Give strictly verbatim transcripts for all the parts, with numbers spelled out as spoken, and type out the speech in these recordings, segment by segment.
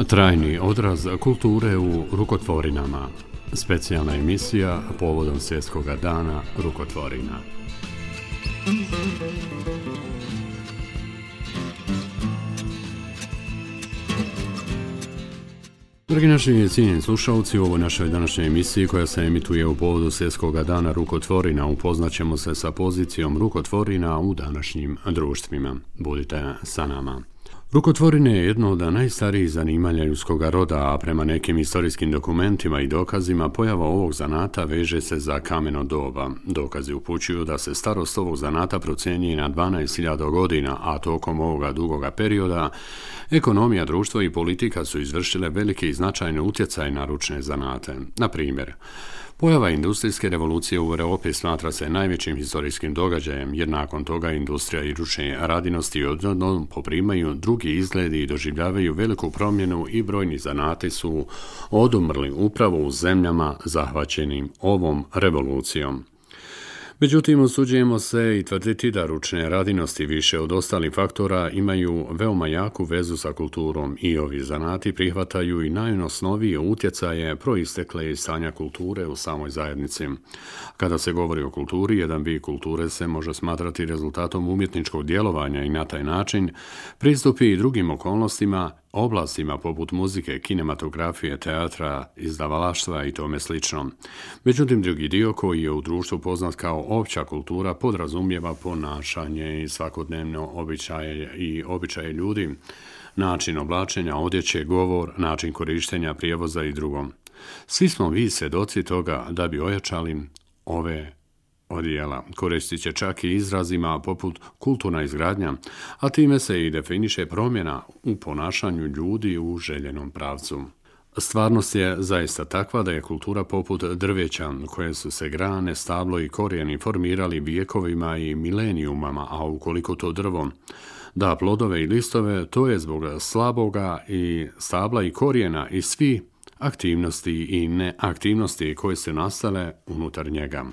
Trajni odraz kulture u rukotvorinama. Specijalna emisija povodom Svjetskog dana rukotvorina. Dragi naši cijenjeni slušalci, u ovoj našoj današnjoj emisiji koja se emituje u povodu Svjetskog dana rukotvorina upoznaćemo se sa pozicijom rukotvorina u današnjim društvima. Budite sa nama. Rukotvorine je jedno od najstarijih zanimanja ljudskog roda, a prema nekim historijskim dokumentima i dokazima pojava ovog zanata veže se za kameno doba. Dokazi upućuju da se starost ovog zanata procjenjuje na dvanaest hiljada godina, a tokom ovoga dugoga perioda ekonomija, društvo i politika su izvršile velike i značajne utjecaje na ručne zanate. Na primjer, pojava industrijske revolucije u Europi smatra se najvećim historijskim događajem, jer nakon toga industrija i ručne radinosti odjednom poprimaju drugi izgledi i doživljavaju veliku promjenu i brojni zanati su odumrli upravo u zemljama zahvaćenim ovom revolucijom. Međutim, usuđujemo se i tvrditi da ručne radinosti više od ostalih faktora imaju veoma jaku vezu sa kulturom i ovi zanati prihvataju i najosnovije utjecaje proistekle iz stanja kulture u samoj zajednici. Kada se govori o kulturi, jedan vid kulture se može smatrati rezultatom umjetničkog djelovanja i na taj način pristupi i drugim okolnostima, oblastima poput muzike, kinematografije, teatra, izdavalaštva i tome slično. Međutim, drugi dio koji je u društvu poznat kao opća kultura podrazumijeva ponašanje i svakodnevno običaje i običaje ljudi, način oblačenja, odjeće, govor, način korištenja prijevoza i drugo. Svi smo vi svjedoci toga da bi ojačali ove odjela. Koristit će čak i izrazima poput kulturna izgradnja, a time se i definiše promjena u ponašanju ljudi u željenom pravcu. Stvarnost je zaista takva da je kultura poput drveća, koje su se grane, stablo i korijeni formirali vijekovima i milenijumama, a ukoliko to drvo da plodove i listove, to je zbog slaboga i stabla i korijena i svi aktivnosti i neaktivnosti koje su nastale unutar njega.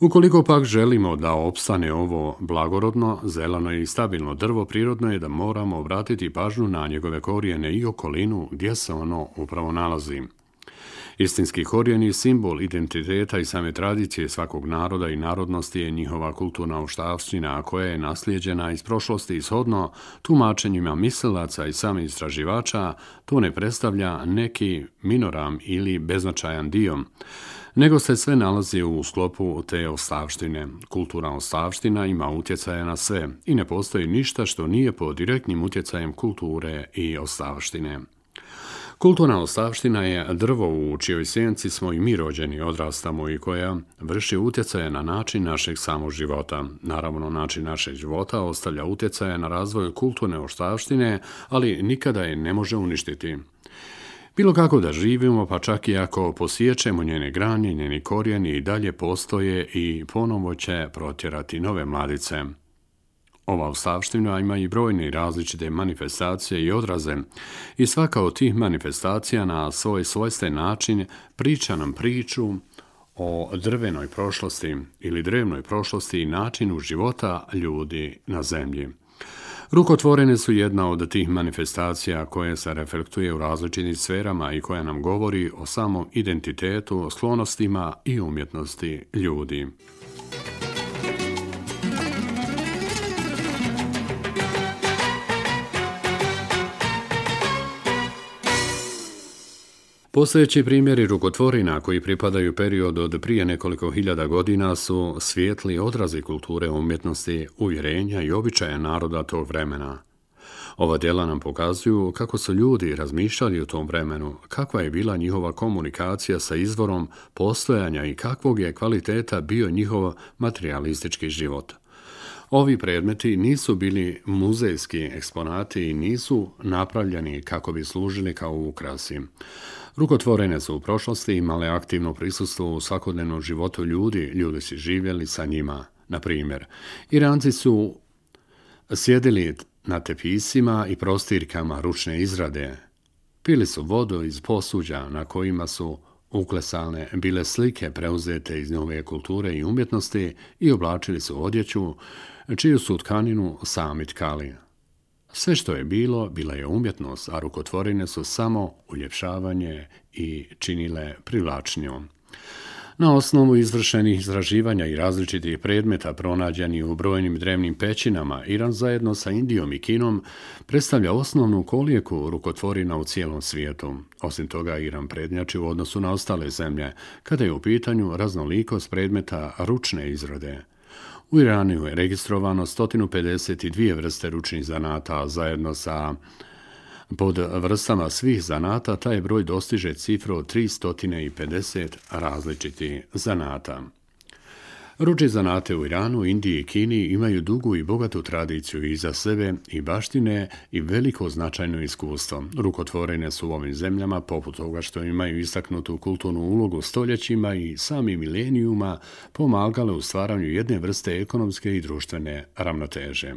Ukoliko pak želimo da opstane ovo blagorodno, zeleno i stabilno drvo, prirodno je da moramo obratiti pažnju na njegove korijene i okolinu gdje se ono upravo nalazi. Istinski korijen je simbol identiteta i same tradicije svakog naroda i narodnosti je njihova kulturna ostavština koja je naslijeđena iz prošlosti ishodno tumačenjima mislilaca i samih istraživača. To ne predstavlja neki minoram ili beznačajan dio, nego se sve nalazi u sklopu te ostavštine. Kulturna ostavština ima utjecaja na sve i ne postoji ništa što nije pod direktnim utjecajem kulture i ostavštine. Kulturna ostavština je drvo u čijoj sjenci smo i mi rođeni, odrastamo i koja vrši utjecaje na način našeg samog života. Naravno, način našeg života ostavlja utjecaje na razvoj kulturne ostavštine, ali nikada je ne može uništiti. Bilo kako da živimo, pa čak i ako posiječemo njene granje, njeni korijeni i dalje postoje i ponovo će protjerati nove mladice. Ova ostavština ima i brojne različite manifestacije i odraze i svaka od tih manifestacija na svoj svojstven način priča nam priču o drvenoj prošlosti ili drevnoj prošlosti i načinu života ljudi na zemlji. Rukotvorine su jedna od tih manifestacija koje se reflektuje u različitim sferama i koja nam govori o samom identitetu, sklonostima i umjetnosti ljudi. Postojeći primjeri rukotvorina koji pripadaju periodu od prije nekoliko hiljada godina su svijetli odrazi kulture, umjetnosti, uvjerenja i običaja naroda tog vremena. Ova djela nam pokazuju kako su ljudi razmišljali u tom vremenu, kakva je bila njihova komunikacija sa izvorom postojanja i kakvog je kvaliteta bio njihov materijalistički život. Ovi predmeti nisu bili muzejski eksponati i nisu napravljeni kako bi služili kao ukrasi. Rukotvorene su u prošlosti imale aktivno prisustvo u svakodnevnom životu ljudi, ljudi su živjeli sa njima. Na primjer, Iranci su sjedili na tepisima i prostirkama ručne izrade, pili su vodu iz posuđa na kojima su uklesane bile slike preuzete iz nove kulture i umjetnosti i oblačili su odjeću čiju su tkaninu sami tkali. Sve što je bilo, bila je umjetnost, a rukotvorine su samo uljepšavanje i činile privlačnijom. Na osnovu izvršenih istraživanja i različitih predmeta pronađenih u brojnim drevnim pećinama, Iran zajedno sa Indijom i Kinom predstavlja osnovnu kolijeku rukotvorina u cijelom svijetu. Osim toga, Iran prednjači u odnosu na ostale zemlje, kada je u pitanju raznolikost predmeta ručne izrade. U Iranu je registrovano sto pedeset dvije vrste ručnih zanata, a zajedno sa pod vrstama svih zanata taj broj dostiže cifru od tristo pedeset različitih zanata. Ručne zanate u Iranu, Indiji i Kini imaju dugu i bogatu tradiciju iza sebe i baštine i veliko značajno iskustvo. Rukotvorine su u ovim zemljama, poput toga što imaju istaknutu kulturnu ulogu stoljećima i sami milenijuma, pomagale u stvaranju jedne vrste ekonomske i društvene ravnoteže.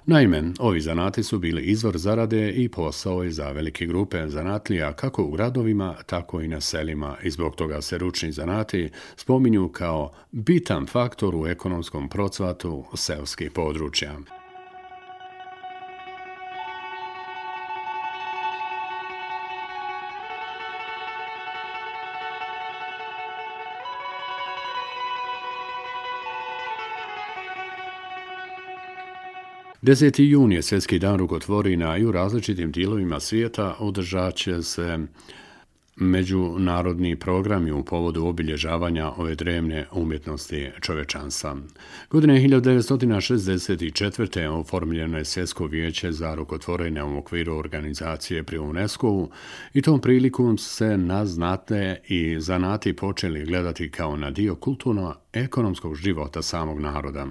Naime, ovi zanati su bili izvor zarade i posao je za velike grupe zanatlija kako u gradovima, tako i na selima i zbog toga se ručni zanati spominju kao bitan faktor u ekonomskom procvatu seoskih područja. deseti jun je svjetski dan rukotvorina i u različitim dijelovima svijeta održat će se međunarodni programi u povodu obilježavanja ove drevne umjetnosti čovječanstva. Godine hiljadu devetsto šezdeset četvrte. oformljeno je Svjetsko vijeće za rukotvorine u okviru organizacije pri UNESCO-u i tom prilikom se na znate i zanati počeli gledati kao na dio kulturno-ekonomskog života samog naroda.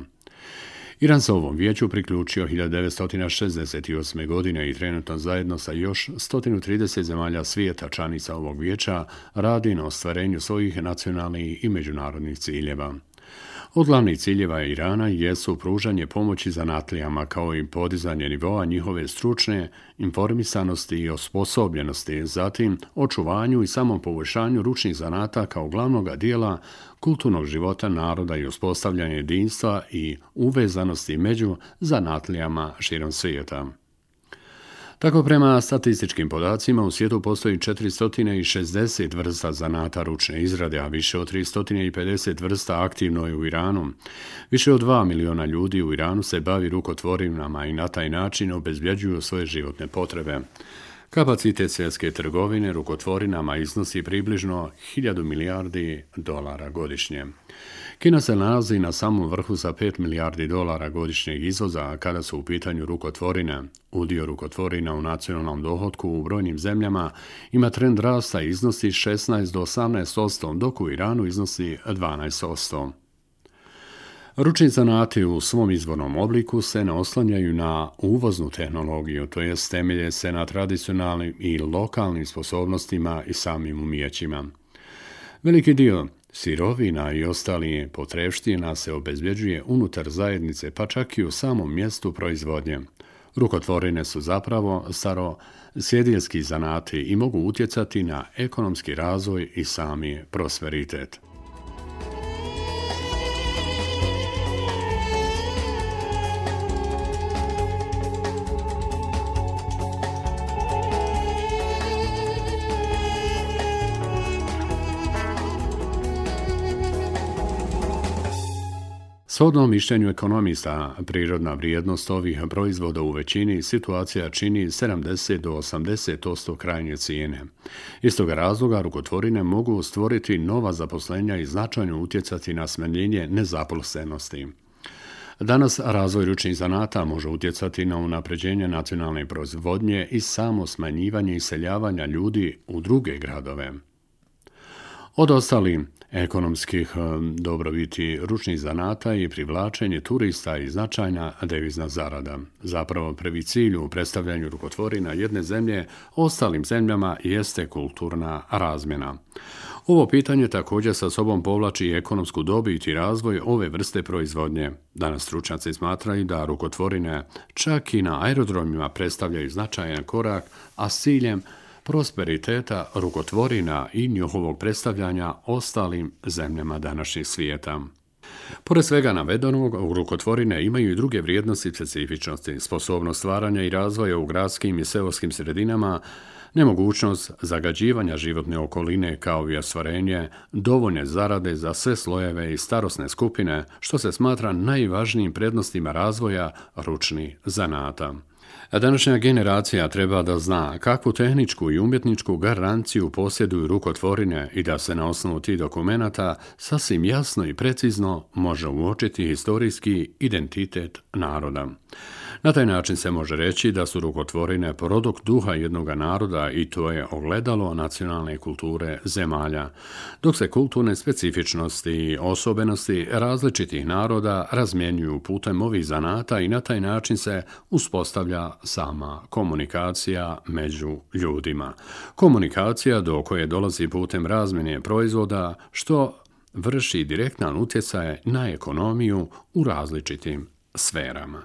Iran se ovom vijeću priključio hiljadu devetsto šezdeset osme. godine i trenutno zajedno sa još sto trideset zemalja svijeta članica ovog vijeća radi na ostvarenju svojih nacionalnih i međunarodnih ciljeva. Od glavnih ciljeva Irana jesu pružanje pomoći zanatlijama kao i podizanje nivoa njihove stručne informisanosti i osposobljenosti, zatim očuvanju i samom poboljšanju ručnih zanata kao glavnog dijela kulturnog života naroda i uspostavljanje jedinstva i uvezanosti među zanatlijama širom svijeta. Tako prema statističkim podacima u svijetu postoji četiristo šezdeset vrsta zanata ručne izrade, a više od tristo pedeset vrsta aktivno je u Iranu. Više od dva miliona ljudi u Iranu se bavi rukotvorinama i na taj način obezbjeđuju svoje životne potrebe. Kapacitet svjetske trgovine rukotvorinama iznosi približno hiljadu milijardi dolara godišnje. Kina se nalazi na samom vrhu sa pet milijardi dolara godišnjeg izvoza, a kada su u pitanju rukotvorine. Udio rukotvorina u nacionalnom dohotku u brojnim zemljama ima trend rasta i iznosi šesnaest do osamnaest posto, dok u Iranu iznosi dvanaest posto. Ručni zanati u svom izvornom obliku se ne oslanjaju na uvoznu tehnologiju, to jest temelje se na tradicionalnim i lokalnim sposobnostima i samim umijećima. Veliki dio sirovina i ostali potrepština se obezbjeđuje unutar zajednice, pa čak i u samom mjestu proizvodnje. Rukotvorine su zapravo starosjedinski zanati i mogu utjecati na ekonomski razvoj i sami prosperitet. Shodno mišljenju ekonomista, prirodna vrijednost ovih proizvoda u većini situacija čini sedamdeset do osamdeset posto krajnje cijene. Iz toga razloga rukotvorine mogu stvoriti nova zaposlenja i značajno utjecati na smanjenje nezaposlenosti. Danas razvoj ručnih zanata može utjecati na unapređenje nacionalne proizvodnje i samo smanjivanje iseljavanja ljudi u druge gradove. Od ostalih ekonomskih dobrobiti ručnih zanata i privlačenje turista i značajna devizna zarada. Zapravo prvi cilj u predstavljanju rukotvorina jedne zemlje ostalim zemljama jeste kulturna razmjena. Ovo pitanje također sa sobom povlači i ekonomsku dobit i razvoj ove vrste proizvodnje. Danas stručnjaci smatraju da rukotvorine čak i na aerodromima predstavljaju značajan korak, a s ciljem prosperiteta rukotvorina i njihovog predstavljanja ostalim zemljama današnjeg svijeta. Pored svega navedenog, rukotvorine imaju i druge vrijednosti i specifičnosti, sposobnost stvaranja i razvoja u gradskim i seoskim sredinama, nemogućnost zagađivanja životne okoline kao i ostvarenje dovoljne zarade za sve slojeve i starosne skupine, što se smatra najvažnijim prednostima razvoja ručnih zanata. A današnja generacija treba da zna kakvu tehničku i umjetničku garanciju posjeduju rukotvorine i da se na osnovu tih dokumenata sasvim jasno i precizno može uočiti historijski identitet naroda. Na taj način se može reći da su rukotvorine produkt duha jednog naroda i to je ogledalo nacionalne kulture zemalja, dok se kulturne specifičnosti i osobenosti različitih naroda razmjenjuju putem ovih zanata i na taj način se uspostavlja sama komunikacija među ljudima. Komunikacija do koje dolazi putem razmjene proizvoda, što vrši direktan utjecaj na ekonomiju u različitim sferama.